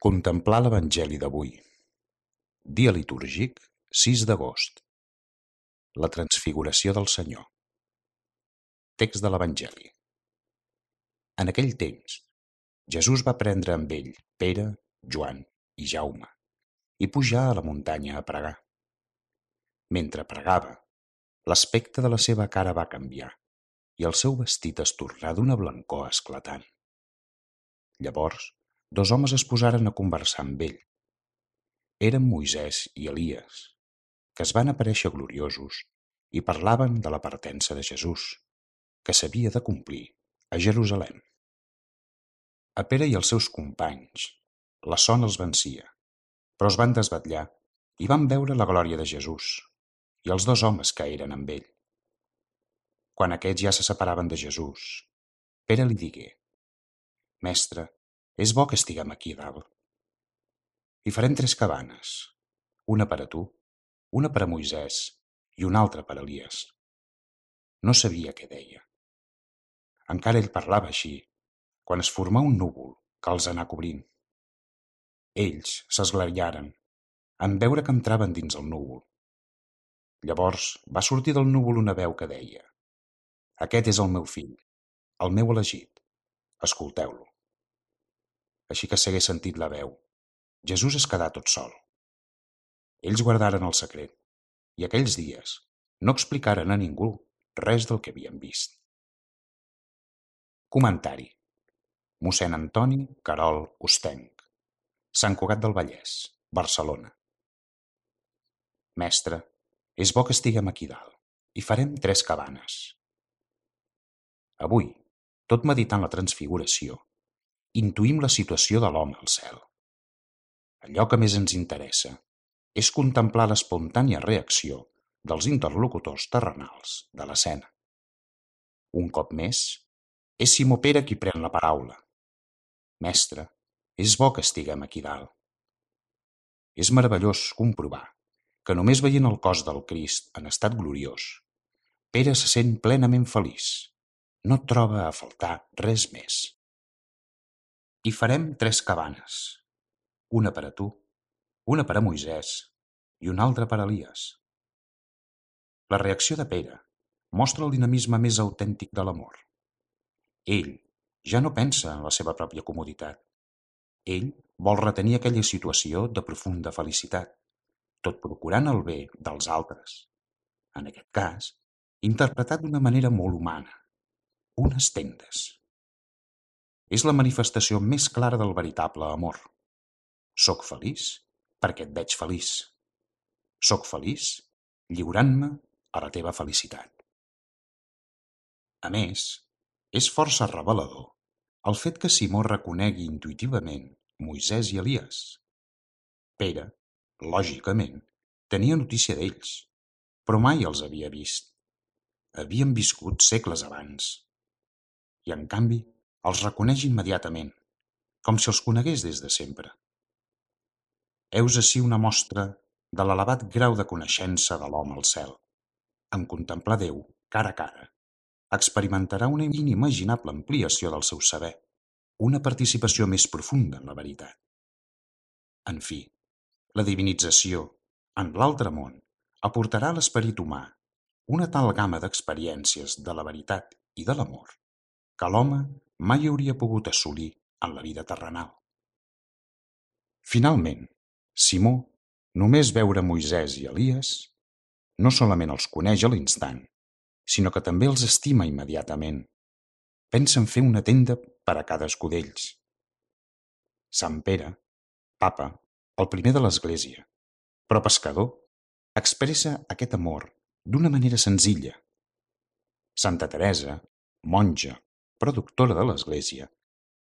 Contemplar l'Evangeli d'avui. Dia litúrgic, 6 d'agost. La transfiguració del Senyor. Text de l'Evangeli. En aquell temps, Jesús va prendre amb ell Pere, Joan i Jaume i pujar a la muntanya a pregar. Mentre pregava, l'aspecte de la seva cara va canviar i el seu vestit es tornà d'una blancor esclatant. Llavors, 2 homes es posaren a conversar amb ell. Eren Moisès i Elies, que es van aparèixer gloriosos i parlaven de la partença de Jesús, que s'havia de complir a Jerusalem. A Pere i els seus companys la son els vencia, però es van desvetllar i van veure la glòria de Jesús i els 2 homes que eren amb ell. Quan aquests ja se separaven de Jesús, Pere li digué: «Mestre, és bo que estiguem aquí dalt. Hi farem 3 cabanes, una per a tu, una per a Moisès i una altra per a Elies». No sabia què deia. Encara ell parlava així, quan es formà un núvol que els anà cobrint. Ells s'esglaiaren en veure que entraven dins el núvol. Llavors va sortir del núvol una veu que deia: «Aquest és el meu fill, el meu elegit, escolteu-lo». Així que s'hagués sentit la veu, Jesús es quedà tot sol. Ells guardaren el secret i aquells dies no explicaren a ningú res del que havien vist. Comentari: Mossèn Antoni Querol Ostenc, Sant Cugat del Vallès, Barcelona. Mestre, és bo que estiguem aquí dalt. Hi farem 3 cabanes. Avui, tot meditant la transfiguració, intuïm la situació de l'home al cel. Allò que més ens interessa és contemplar l'espontània reacció dels interlocutors terrenals de l'escena. Un cop més, és Simó Pere qui pren la paraula. Mestre, és bo que estiguem aquí dalt. És meravellós comprovar que només veient el cos del Crist en estat gloriós, Pere se sent plenament feliç. No troba a faltar res més. Hi farem 3 cabanes, una per a tu, una per a Moisès i una altra per a Elies. La reacció de Pere mostra el dinamisme més autèntic de l'amor. Ell ja no pensa en la seva pròpia comoditat. Ell vol retenir aquella situació de profunda felicitat, tot procurant el bé dels altres. En aquest cas, interpretat d'una manera molt humana, unes tendes. És la manifestació més clara del veritable amor. Soc feliç perquè et veig feliç. Soc feliç lliurant-me a la teva felicitat. A més, és força revelador el fet que Simó reconegui intuïtivament Moisès i Elies. Pere, lògicament, tenia notícia d'ells, però mai els havia vist. Havien viscut segles abans. I, en canvi, els reconeix immediatament, com si els conegués des de sempre. Heus ací una mostra de l'elevat grau de coneixença de l'home al cel. En contemplar Déu cara a cara, experimentarà una inimaginable ampliació del seu saber, una participació més profunda en la veritat. En fi, la divinització, en l'altre món, aportarà a l'esperit humà una tal gamma d'experiències de la veritat i de l'amor que l'home mai hauria pogut assolir en la vida terrenal. Finalment, Simó, només veure Moisès i Elies, no solament els coneix a l'instant, sinó que també els estima immediatament. Pensa en fer una tenda per a cadascú d'ells. Sant Pere, papa, el primer de l'Església, però pescador, expressa aquest amor d'una manera senzilla. Santa Teresa, monja, però doctora de l'Església,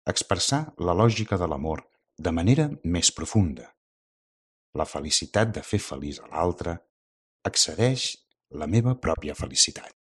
expressà la lògica de l'amor de manera més profunda. La felicitat de fer feliç a l'altre excedeix la meva pròpia felicitat.